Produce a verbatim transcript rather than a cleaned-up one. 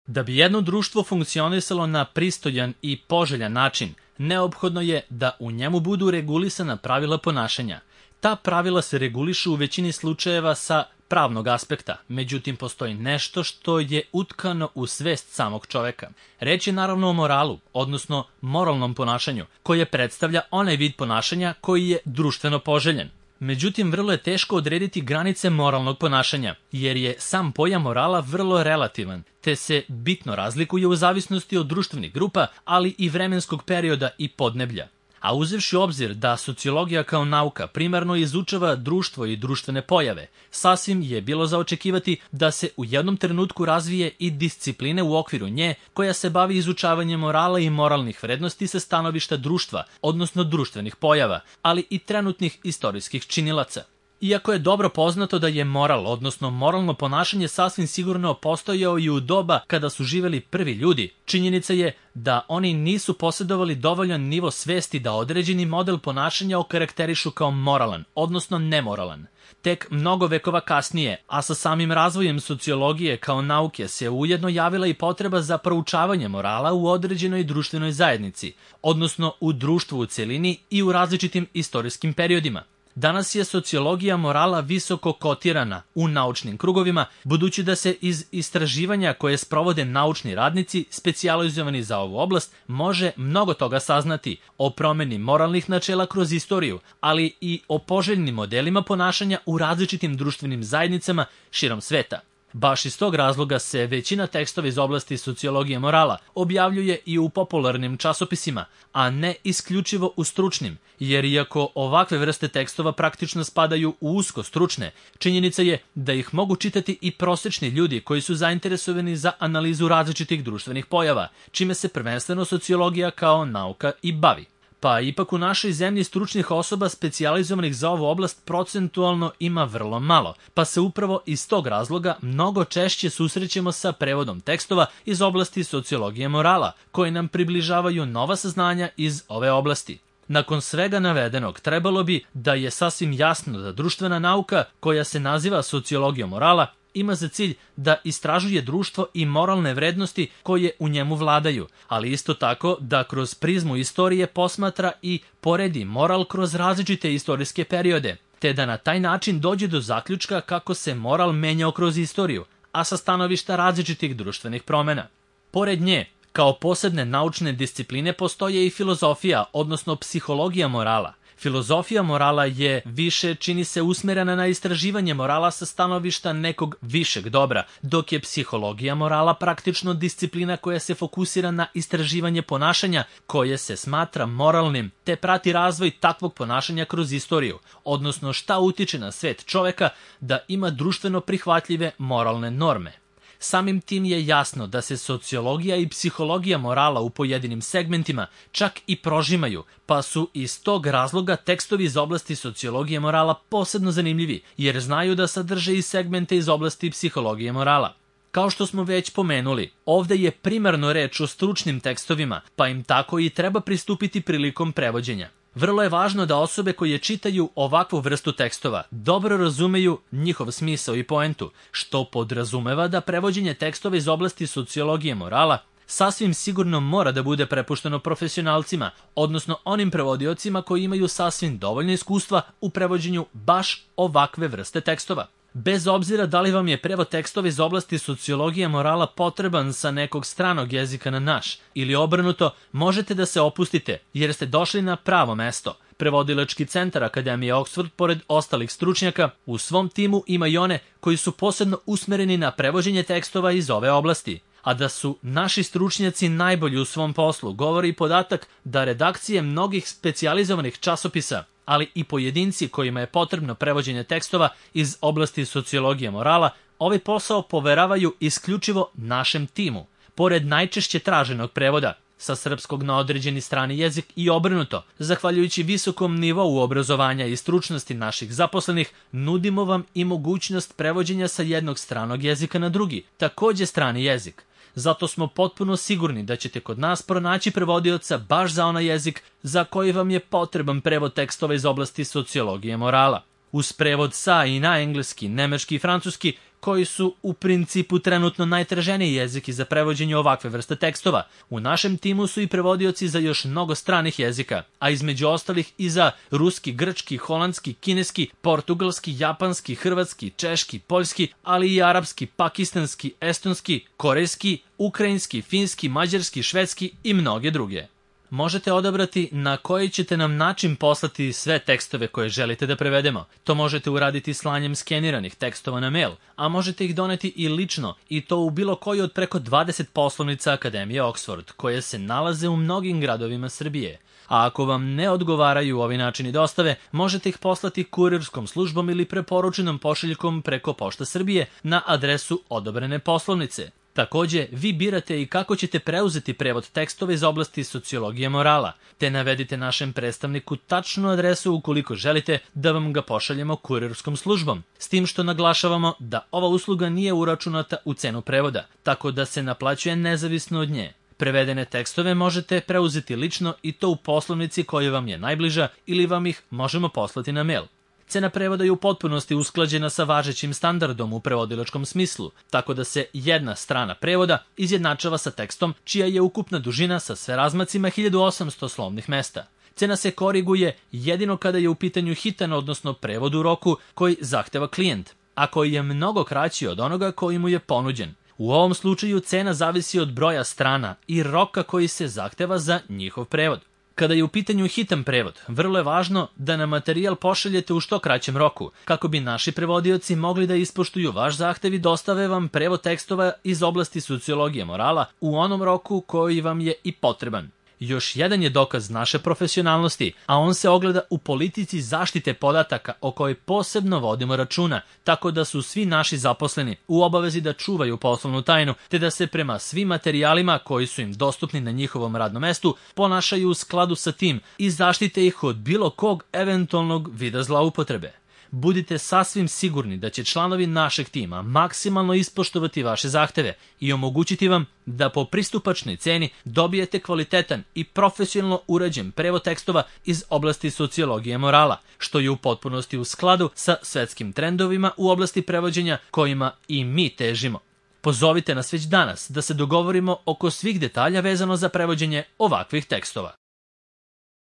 Da bi jedno društvo funkcionisalo na pristojan i poželjan način, neophodno je da u njemu budu regulisana pravila ponašanja. Ta pravila se regulišu u većini slučajeva sa pravnog aspekta, međutim postoji nešto što je utkano u svest samog čoveka. Reč je naravno o moralu, odnosno moralnom ponašanju, koje predstavlja onaj vid ponašanja koji je društveno poželjen. Međutim, vrlo je teško odrediti granice moralnog ponašanja, jer je sam pojam morala vrlo relativan, te se bitno razlikuje u zavisnosti od društvenih grupa, ali i vremenskog perioda i podneblja. A uzevši u obzir da sociologija kao nauka primarno izučava društvo i društvene pojave, sasvim je bilo za očekivati da se u jednom trenutku razvije i discipline u okviru nje koja se bavi izučavanjem morala i moralnih vrednosti sa stanovišta društva, odnosno društvenih pojava, ali i trenutnih istorijskih činilaca. Iako je dobro poznato da je moral, odnosno moralno ponašanje sasvim sigurno postojao i u doba kada su živeli prvi ljudi, činjenica je da oni nisu posjedovali dovoljan nivo svesti da određeni model ponašanja okarakterišu kao moralan, odnosno nemoralan. Tek mnogo vekova kasnije, a sa samim razvojem sociologije kao nauke se ujedno javila i potreba za proučavanje morala u određenoj društvenoj zajednici, odnosno u društvu u celini i u različitim istorijskim periodima. Danas je sociologija morala visoko kotirana u naučnim krugovima, budući da se iz istraživanja koje sprovode naučni radnici specijalizovani za ovu oblast može mnogo toga saznati o promeni moralnih načela kroz istoriju, ali i o poželjnim modelima ponašanja u različitim društvenim zajednicama širom sveta. Baš iz tog razloga se većina tekstova iz oblasti sociologije morala objavljuje i u popularnim časopisima, a ne isključivo u stručnim, jer iako ovakve vrste tekstova praktično spadaju u usko stručne, činjenica je da ih mogu čitati i prosečni ljudi koji su zainteresovani za analizu različitih društvenih pojava, čime se prvenstveno sociologija kao nauka i bavi. Pa ipak u našoj zemlji stručnih osoba specijalizovanih za ovu oblast procentualno ima vrlo malo, pa se upravo iz tog razloga mnogo češće susrećemo sa prevodom tekstova iz oblasti sociologije morala, koji nam približavaju nova saznanja iz ove oblasti. Nakon svega navedenog, trebalo bi da je sasvim jasno da društvena nauka, koja se naziva sociologijom morala, ima za cilj da istražuje društvo i moralne vrednosti koje u njemu vladaju, ali isto tako da kroz prizmu istorije posmatra i poredi moral kroz različite istorijske periode, te da na taj način dođe do zaključka kako se moral menjao kroz istoriju, a sa stanovišta različitih društvenih promena. Pored nje, kao posebne naučne discipline postoje i filozofija, odnosno psihologija morala. Filozofija morala je više, čini se, usmerena na istraživanje morala sa stanovišta nekog višeg dobra, dok je psihologija morala praktično disciplina koja se fokusira na istraživanje ponašanja koje se smatra moralnim, te prati razvoj takvog ponašanja kroz istoriju, odnosno šta utiče na svet čoveka da ima društveno prihvatljive moralne norme. Samim tim je jasno da se sociologija i psihologija morala u pojedinim segmentima čak i prožimaju, pa su iz tog razloga tekstovi iz oblasti sociologije morala posebno zanimljivi, jer znaju da sadrže i segmente iz oblasti psihologije morala. Kao što smo već pomenuli, ovde je primarno reč o stručnim tekstovima, pa im tako i treba pristupiti prilikom prevođenja. Vrlo je važno da osobe koje čitaju ovakvu vrstu tekstova dobro razumeju njihov smisao i poentu, što podrazumeva da prevođenje tekstova iz oblasti sociologije morala sasvim sigurno mora da bude prepušteno profesionalcima, odnosno onim prevodiocima koji imaju sasvim dovoljno iskustva u prevođenju baš ovakve vrste tekstova. Bez obzira da li vam je prevod tekstova iz oblasti sociologije morala potreban sa nekog stranog jezika na naš, ili obrnuto, možete da se opustite jer ste došli na pravo mesto. Prevodilački centar Akademije Oxford, pored ostalih stručnjaka, u svom timu ima i one koji su posebno usmereni na prevođenje tekstova iz ove oblasti. A da su naši stručnjaci najbolji u svom poslu govori i podatak da redakcije mnogih specijalizovanih časopisa, ali i pojedinci kojima je potrebno prevođenje tekstova iz oblasti sociologije morala, ovaj posao poveravaju isključivo našem timu. Pored najčešće traženog prevoda sa srpskog na određeni strani jezik i obrnuto, zahvaljujući visokom nivou obrazovanja i stručnosti naših zaposlenih, nudimo vam i mogućnost prevođenja sa jednog stranog jezika na drugi, takođe strani jezik. Zato smo potpuno sigurni da ćete kod nas pronaći prevodioca baš za onaj jezik za koji vam je potreban prevod tekstova iz oblasti sociologije morala. Uz prevod sa i na engleski, nemački i francuski, koji su u principu trenutno najtraženiji jezik za prevođenje ovakve vrste tekstova. U našem timu su i prevodioci za još mnogo stranih jezika, a između ostalih i za ruski, grčki, holandski, kineski, portugalski, japanski, hrvatski, češki, poljski, ali i arapski, pakistanski, estonski, korejski, ukrajinski, finski, mađarski, švedski i mnoge druge. Možete odabrati na koji ćete nam način poslati sve tekstove koje želite da prevedemo. To možete uraditi slanjem skeniranih tekstova na mail, a možete ih doneti i lično, i to u bilo koji od preko dvadeset poslovnica Akademije Oxford, koje se nalaze u mnogim gradovima Srbije. A ako vam ne odgovaraju ovi načini dostave, možete ih poslati kurirskom službom ili preporučenom pošiljkom preko Pošta Srbije na adresu odobrene poslovnice. Takođe, vi birate i kako ćete preuzeti prevod tekstova iz oblasti sociologije morala, te navedite našem predstavniku tačnu adresu ukoliko želite da vam ga pošaljemo kurirskom službom, s tim što naglašavamo da ova usluga nije uračunata u cenu prevoda, tako da se naplaćuje nezavisno od nje. Prevedene tekstove možete preuzeti lično i to u poslovnici koja vam je najbliža ili vam ih možemo poslati na mail. Cena prevoda je u potpunosti usklađena sa važećim standardom u prevodilačkom smislu, tako da se jedna strana prevoda izjednačava sa tekstom čija je ukupna dužina sa sve razmacima hiljadu osamsto slovnih mesta. Cena se koriguje jedino kada je u pitanju hitan, odnosno prevod u roku koji zahteva klijent, a koji je mnogo kraći od onoga koji mu je ponuđen. U ovom slučaju cena zavisi od broja strana i roka koji se zahteva za njihov prevod. Kada je u pitanju hitan prevod, vrlo je važno da nam materijal pošaljete u što kraćem roku, kako bi naši prevodioci mogli da ispoštuju vaš zahtev i dostave vam prevod tekstova iz oblasti sociologije morala u onom roku koji vam je i potreban. Još jedan je dokaz naše profesionalnosti, a on se ogleda u politici zaštite podataka o kojoj posebno vodimo računa, tako da su svi naši zaposleni u obavezi da čuvaju poslovnu tajnu, te da se prema svim materijalima koji su im dostupni na njihovom radnom mestu ponašaju u skladu sa tim i zaštite ih od bilo kog eventualnog vida zloupotrebe. Budite sasvim sigurni da će članovi našeg tima maksimalno ispoštovati vaše zahteve i omogućiti vam da po pristupačnoj ceni dobijete kvalitetan i profesionalno urađen prevod tekstova iz oblasti sociologije morala, što je u potpunosti u skladu sa svetskim trendovima u oblasti prevođenja kojima i mi težimo. Pozovite nas već danas da se dogovorimo oko svih detalja vezano za prevođenje ovakvih tekstova.